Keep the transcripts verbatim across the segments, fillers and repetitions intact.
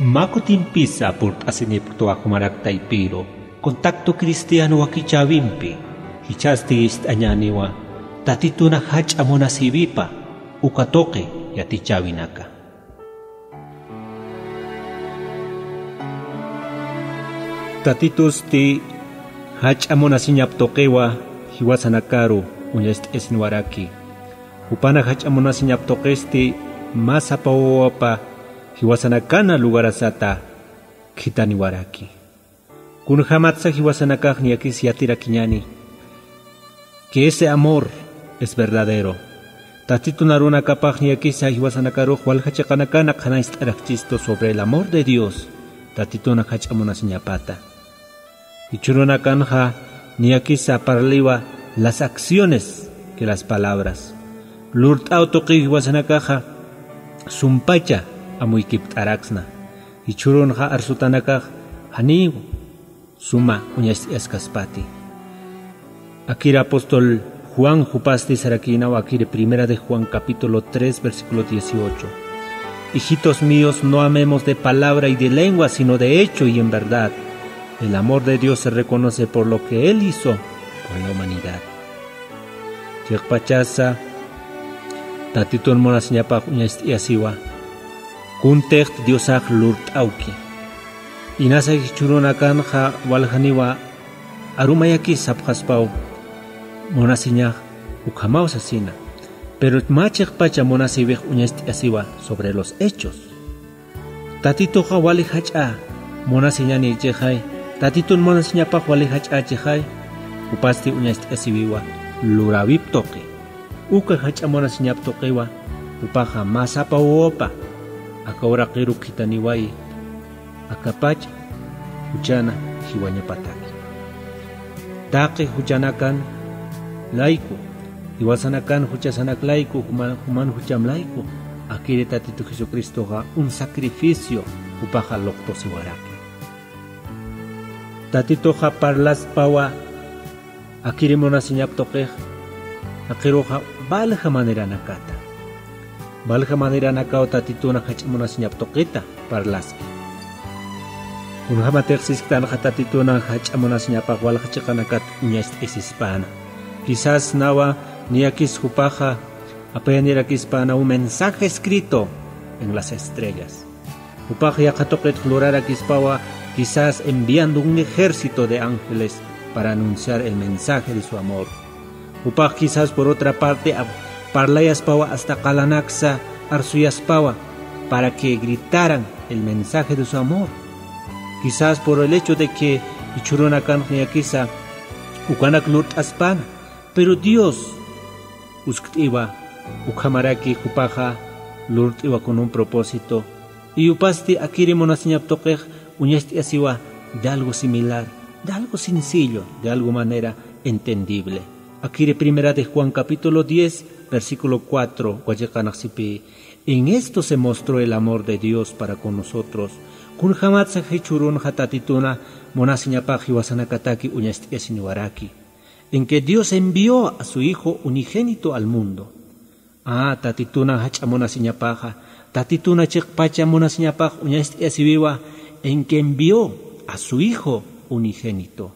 Mä kutimpisa purt'asinipktwa jumarak taypiru contacto cristiano wakichäwimpi. Jichhasti ist'añäniwa tatituna jach'a munasïwipa uka tuqi yatichäwinaka. Tatitusti jach'a munasiñap tuqiwa jiwasanakaru uñast'asinwaraki. Jupana jach'a munasiñap tuqisti mä sapa wawapa jiwasanakana lugarasata khithaniwaraki. Kunjämatsa jiwasanakax niyakis yatirakiñäni que ese amor es verdadero. Tatitun arunakapax niyakisa jiwasanakarux walja chiqanakana qhanañcht'arakchistu sobre el amor de Dios, tatituna jach'a munasiñapata. Jichhürunakanxa niyakisa parliwa las acciones que las palabras. Lurt'aw tuqiw jiwasanakaxa sumpacha amuykipt'araksna. Jichhürunxa arsutanakax janiw suma uñacht'askaspati. Akir apóstol Juan jupasti sarakïnaw akir Primera de Juan capítulo tres, versículo dieciocho: "Hijitos míos, no amemos de palabra y de lengua, sino de hecho y en verdad. El amor de Dios se reconoce por lo que Él hizo por la humanidad". Chiqpachasa tatitun munasiñapax uñacht'asiwa, kuntixt Diosax lurt'awki. Inasa jichhürunakanxa waljaniwa arumayakis sapxaspaw, munasiñax ukhamaw sasina. Pero mä chiqpacha munasïwix uñacht'asiwa sobre los hechos. Tatituxa wali jach'a munasiñanïchixay, tatitun munasiñapax wali jach'ächixay, jupasti uñacht'asiwiwa luräwip tuqi. Uka jach'a munasiñap tuqiwa, jupaxa mä sapa wawapa aka uraqiru khithaniwayi, akapach juchana jiwañapataki. Taqi juchanakan layku, jiwasanakan juchasanak layku, juman, juman jucham layku, akiri Tatitu Jesucristoxa un sacrificio jupaxa luqtusiwaraki. Tatituxa parlaspawa akiri munasiñap tuqix, aqiruxa valja maneranakata. Valja maneranakaw tatituna jach'a munasiñap tuqita parlaski. Kunjämatix sisktanxa tatituna jach'a munasiñapax walja chiqanakat uñacht'asispäna. Quizás nawa niyakis jupaxa apayanirakispäna un mensaje escrito en las estrellas. Jupax yaqha tuqit lurarakispawa, quizás enviando un ejército de ángeles para anunciar el mensaje de su amor. Jupax quizás por otra parte ap-, parlayaspawa hasta qalanaksa arsuyaspawa para que gritaran el mensaje de su amor. Quizás por el hecho de que jichhürunakan niyakisa ukanak lurt'aspäna, pero Dios uskt'iwa ukhamaraki jupaxa lurt'iwa con un propósito. Y jupasti akiri munasiñap tuqix uñacht'asiwa de algo similar, de algo sencillo, de algo manera entendible. Akiri Primera de Juan capítulo diez, versículo cuatro, wachiqanxsipï: "En esto se mostró el amor de Dios para con nosotros". Kunjämatsa jichhürunxa tatituna munasiñapax jiwasanakataki uñacht'asiniwaraki. En que Dios envió a su Hijo unigénito al mundo. Ah, tatituna jach'a munasiñapaxa, tatituna chiqpacha munasiñapax uñacht'asiwiwa, en que envió a su Hijo unigénito.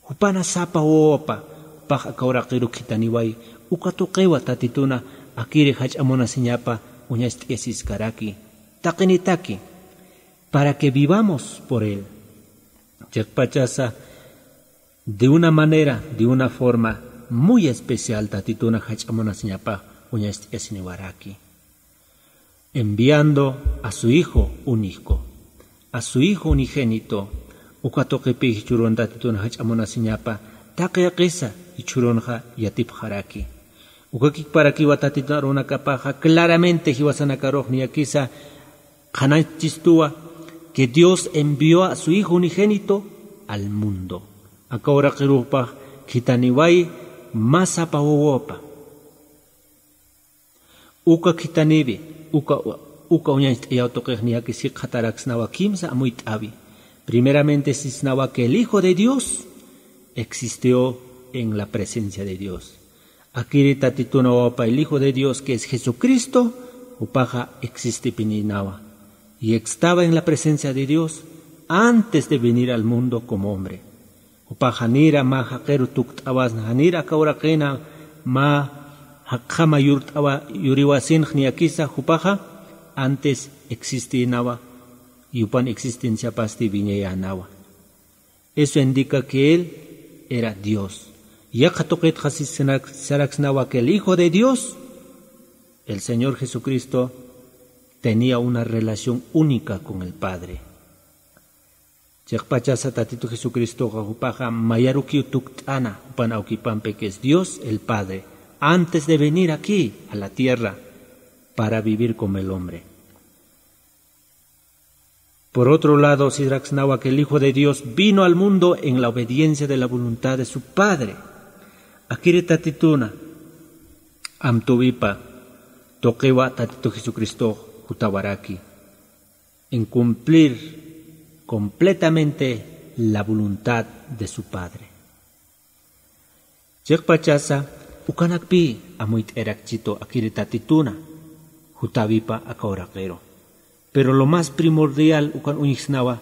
Jupana sapa wawapa, jupax aka uraqiru khithaniwayi, uka tuqiwa tatituna akiri jach'a munasiñapa uñacht'asiskaraki. Taqinitaki, para que vivamos por él. Chiqpachasa, de una manera, de una forma muy especial, tatituna jach'a munasiñapax uñacht'asiniwaraki. Enviando a su Hijo único, a su Hijo unigénito, uka tuqipï jichhürun tatituna jach'a munasiñapa, taqi jaqisa jichhürunxa yatipxaraki. Uka kikparakiwa tatitun arunakapaxa, claramente jiwasanakarux niyakisa qhanañchistuwa que Dios envió a su Hijo unigénito al mundo. Aka uraqirux jupax khithaniwayi mä sapa wawapa. Uka khithaniwi, uka, uka uñacht'ayaw tuqix niyakis jikxataraksnawa kimsa amuyt'äwi. Primeramente sisnawa que el Hijo de Dios existió en la presencia de Dios. Akiri tatituna wawapa, el Hijo de Dios, que es Jesucristo, jupaxa existipininawa. Y estaba en la presencia de Dios antes de venir al mundo como hombre. Jupax janira mä jaqiru tukt'awasna, janira aka uraqina mä jaqjama yurt'awa, yuriwasinx niyakisa, jupaxa antes existinawa, y jupan existenciapasti wiñayänawa. Eso indica que él era Dios. Yaqha tuqitxa sisnak-, saraksnawa que el Hijo de Dios, el Señor Jesucristo, tenía una relación única con el Padre. Chiqpachasa Tatitu Jesucristoxa jupaxa mayarukiw tukt'ana, jupan awkipampi que es Dios el Padre, antes de venir aquí a la tierra para vivir como el hombre. Por otro lado, sisraksnawa que el Hijo de Dios vino al mundo en la obediencia de la voluntad de su Padre. Akiri Tatituna, amtuwipa, tuqiwa Tatitu Jesucristo jutawaraki en cumplir completamente la voluntad de su Padre. Chiqpachasa, ukanakpi amuyt'ayarakchitu akiri Tatituna, jutawipa aka uraqiru. Pero lo más primordial ukan uñjsnawa,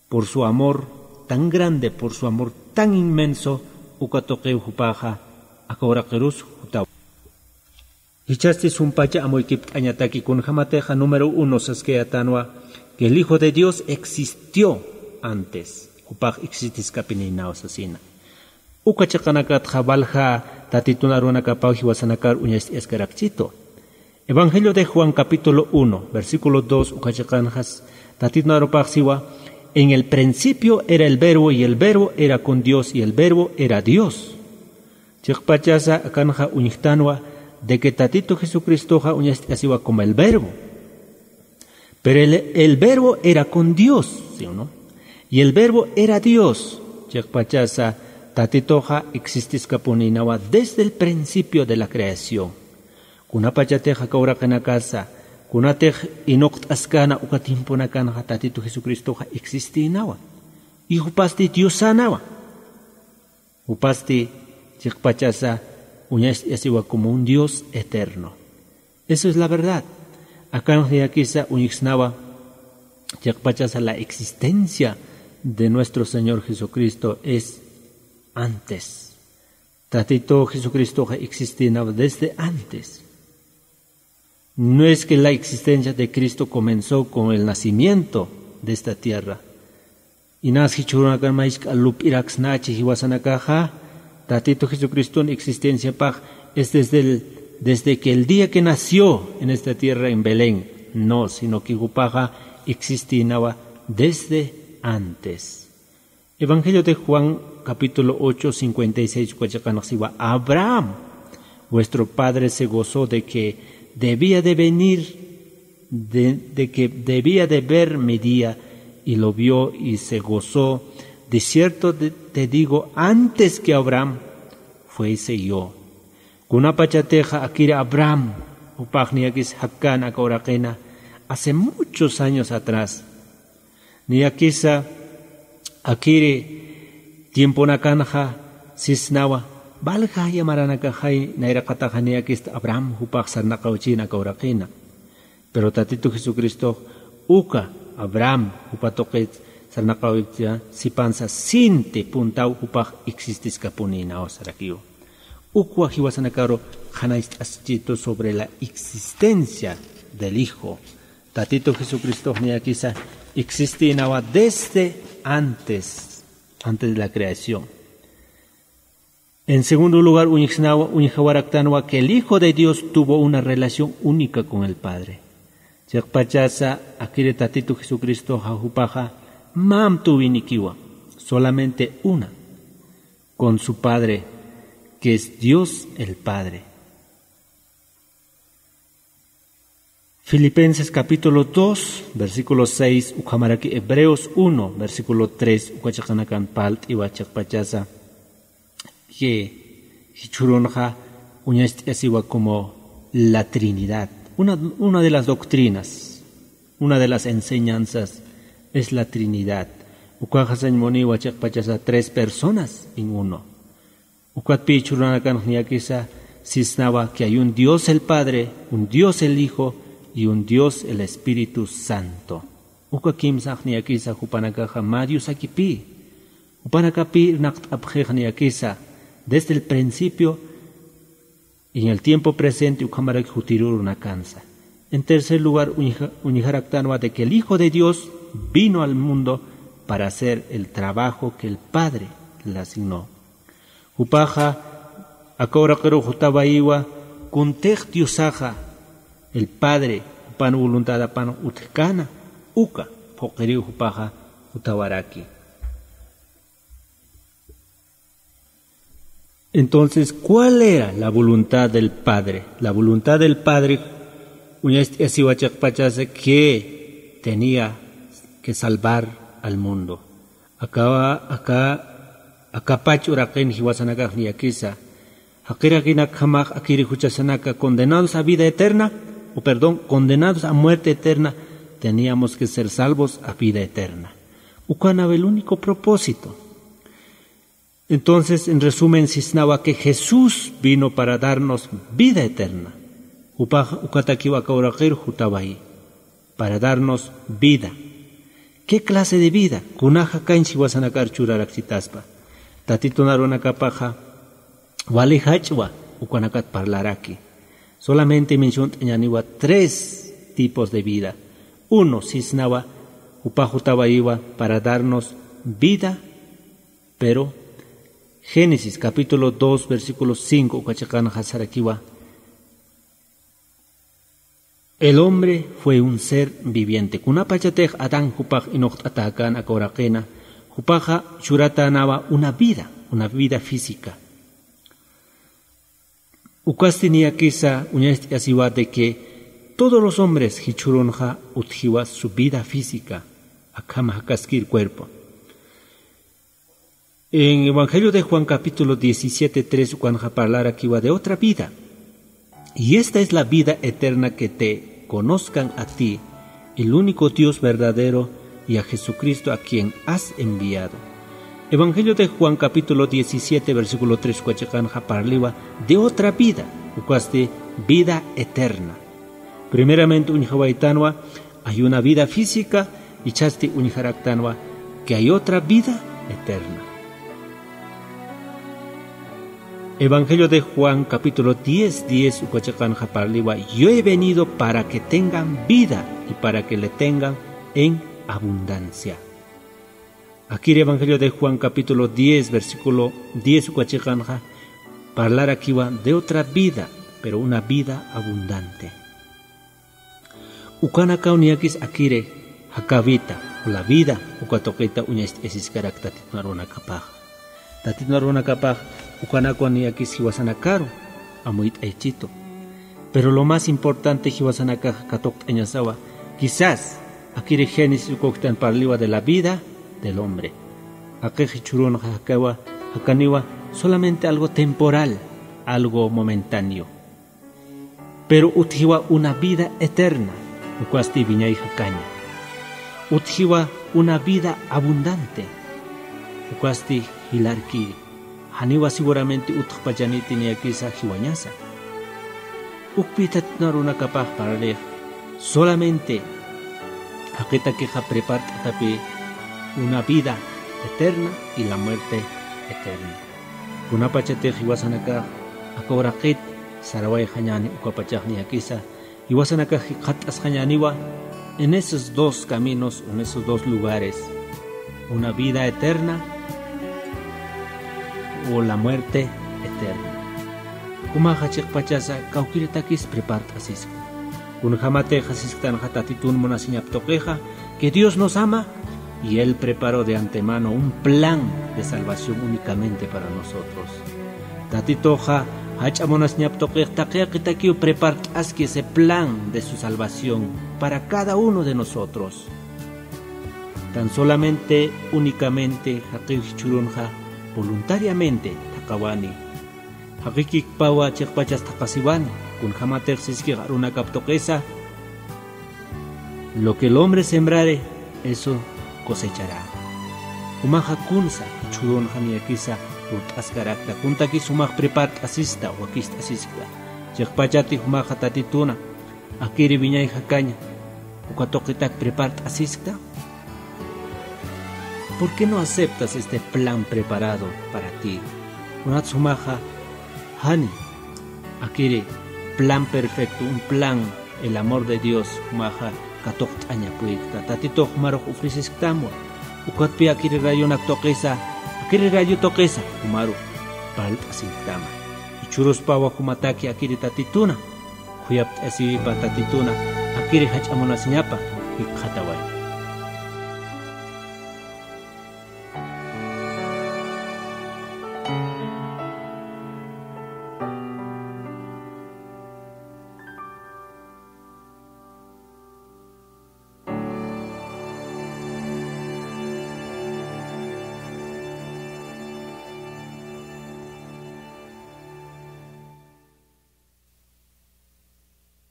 por su amor tan grande, por su amor tan inmenso, uka tuqiw jupaxa aka uraqirus jutawa. Jichhasti sumpacha amuykipt'añataki, kunjamatixa número uno saskayätanwa que el Hijo de Dios existió antes, jupax existiskapinïnaw sasina. Uka chiqanakatxa walja Tatitun arunakapaw jiwasanakar uñacht'ayaskarakchitu. Evangelio de Juan capítulo uno, versículo dos, uka chiqanxas Tatitun arupax siwa: "En el principio era el Verbo, y el Verbo era con Dios, y el Verbo era Dios". Chiqpachasa akanxa uñjtanwa de que Tatitu Jesucristoxa uñacht'asiwa como el Verbo. Pero el, el Verbo era con Dios, ¿sí o no? Y el Verbo era Dios. Chiqpachasa Tatituxa existiskapunïnawa desde el principio de la creación. Kunapachatix aka uraqinakasa, kunatix inuqt'askana uka tiemponakanxa Tatitu Jesucristoxa existïnawa. Y jupasti Diosanawa. Jupasti chiqpachasa uñacht'asiwa como un Dios eterno. Eso es la verdad. Akanx niyakisa uñjsnawa chiqpachasa la existencia de nuestro Señor Jesucristo es antes. Tatitu Jesucristoxa existinaw desde antes. No es que la existencia de Cristo comenzó con el nacimiento de esta tierra. Inas jichhürunakan maych'a lup'iraksnachi jiwasanakaxa, Tatitu Jesucriston existenciapax es desde el, desde que el día que nació en esta tierra en Belén. No, sino que jupaxa existinawa desde antes. Evangelio de Juan, capítulo ocho, cincuenta y seis, uka chiqanx siwa: "Abraham, vuestro padre, se gozó de que debía de venir, de, de que debía de ver mi día, y lo vio y se gozó. De cierto te, te digo, antes que Abraham fuese yo". Kunapachatixa akiri Abraham, jupax niyakis jakkan aka uraqina, hace muchos años atrás, niyakisa akiri tiemponakanxa sisnawa, valja yamaranakaxay nayraqataxa niyakista Abraham jupax sarnaqawchin aka uraqina. Pero Tatitu Jesucristox uka Abraham jupa tuqit sarnaqawipta sipansa sinti puntaw jupax existiskapunïnaw sarakiw. Ukwa jiwasanakaru qhanañcht'aschitu sobre la existencia del Hijo. Tatitu Jesucristox niyakisa existinawa desde antes, antes de la creación. En segundo lugar, uñjsnawa, uñjawaraktanwa que el Hijo de Dios tuvo una relación única con el Padre. Chiqpachasa akiri Tatitu Jesucristoxa jupaxa mä amtuwinikiwa, solamente una, con su Padre, que es Dios el Padre. Filipenses capítulo dos, versículo seis, ukhamaraki Hebreos uno, versículo tres, uka chiqanakan parlt'iwa chiqpachasa, que jichhürunxa uñacht'asiwa como la Trinidad. Una, una de las doctrinas, una de las enseñanzas es la Trinidad. Ukaxa sañ muniwa chiqpachasa tres personas en uno. Ukatpï jichhürunakanx niyakisa sisnawa que hay un Dios el Padre, un Dios el Hijo, y un Dios, el Espíritu Santo. Uka kimsax niyakisa jupanakaxa mä Diosakipï. Jupanakapï irnaqt'apxix niyakisa desde el principio y en el tiempo presente ukhamaraki jutirürunakansa. En tercer lugar, uñja-, uñjaraktanwa de que el Hijo de Dios vino al mundo para hacer el trabajo que el Padre le asignó. Jupaxa aka uraqiru jutawayiwa, kuntix Diosaxa, el Padre, jupan voluntadapan utjkana, uka phuqhiriw jupaxa jutawaraki. Entonces, ¿cuál era la voluntad del Padre? La voluntad del Padre, uñast'asiwa chiqpachasa, que tenía que salvar al mundo. Aka, aka, akapach uraqin jiwasanakax niyakisa. Jaqirakinakjamax akiri juchasanaka condenados a vida eterna, o perdón, condenados a muerte eterna, teníamos que ser salvos a vida eterna. Uka naw el único propósito. Entonces, en resumen, sisnawa que Jesús vino para darnos vida eterna. Jupax ukatakiw aka uraqir jutawayi, para darnos vida. ¿Qué clase de vida? Kunaxa kañ jiwasanakar churarakchitaspa. Tatitun arunakapaxa wali jach'wa ukanakat parlaraki. Solamente menciont'añäniwa tres tipos de vida. Uno, sisnawa, jupax jutawayiwa para darnos vida, pero Génesis capítulo dos, versículo cinco uka chiqanxa sarakiwa: "El hombre fue un ser viviente". Kunapachatix Adán jupax inuqt'atäkän aka uraqina, jupaxa churatänawa una vida, una vida física. Ukasti niyakisa uñast'asiwa de que todos los hombres jichhürunxa utjiwa su vida física, akham jakaskir cuerpo. En Evangelio de Juan capítulo diecisiete tres ukanxa parlarakiwa de otra vida. "Y esta es la vida eterna, que te conozcan a ti, el único Dios verdadero, y a Jesucristo a quien has enviado". Evangelio de Juan capítulo diecisiete versículo tres uka chiqanxa parliwa de otra vida, ukasti vida eterna. Primeramente uñjawaytanwa, hay una vida física, ichhasti uñjaraktanwa que hay otra vida eterna. Evangelio de Juan, capítulo diez, diez uka chiqanxa parliwa: "Yo he venido para que tengan vida y para que le tengan en abundancia". Akir Evangelio de Juan, capítulo diez, versículo diez uka chiqanxa parlarakiwa de otra vida, pero una vida abundante. Ukanakaw niyakis akiri jakawita, o la vida, uka tuqita uñacht'asiskarak Tatitun arunakapax. Tatitun arunakapax ukanakaw niyakis jiwasanakaru amuyt'aychitu. Pero lo más importante jiwasanakax katuqt'añasawa, quizás akiri Génesis ukuktan parliwa de la vida del hombre. Jaqix jichhürunxa jakawa, jakaniwa solamente algo temporal, algo momentáneo. Pero utjiwa una vida eterna, ukasti wiñay jakaña. Utjiwa una vida abundante, ukasti jilarkiri. Janiwa seguramente utjpachaniti niyakisa jiwañasa. Ukpï Tatitun arunakapax parlix, solamente jaqitakixa prepart'atapï una vida eterna y la muerte eterna. Kunapachatix jiwasanakax aka uraqit sarawayxañäni ukapachax niyakisa, jiwasanakax jikxatt'asxañäniwa en esos dos caminos, en esos dos lugares, una vida eterna o la muerte eterna. Jumaxa chiqpachasa kawkïritakis prepart'asiskta. Kunjämatix sisktanxa Tatitun munasiñap tuqixa, que Dios nos ama, y Él preparó de antemano un plan de salvación únicamente para nosotros. Tatituxa jach'a munasiñap tuqix taqi jaqitakiw prepart'aski ese plan de su salvación para cada uno de nosotros. Tan solamente, únicamente, jaqiw jichhürunxa voluntariamente thaqhawani. Jaqikikpawa chiqpachas thaqhasiwani, kunjämatix siskix arunakap tuqisa, "Lo que el hombre sembrare, eso cosechará". Jumaxa kunsa jichhürunxa niyakisa lurt'askarakta, kuntakis jumax prepart'asista, wakicht'asiskta. Chiqpachati jumaxa Tatituna Akiri wiñay jakaña uka tuqitak prepart'asiskta. ¿Por qué no aceptas este plan preparado para ti? Kunat sumaxa jani akiri plan perfecto, un plan, el amor de Dios, jumaxa katuqt'aña puykta. Tatitux jumarux ofrecisktamwa. Ukatpi akiri radionak tuqisa, akiri radio tuqisa jumarux parlt'asiktama. Jichhüruspawa jumataki akiri Tatituna khuyapt'asiwipa Tatituna akiri jach'a munasiñapa jikxataway.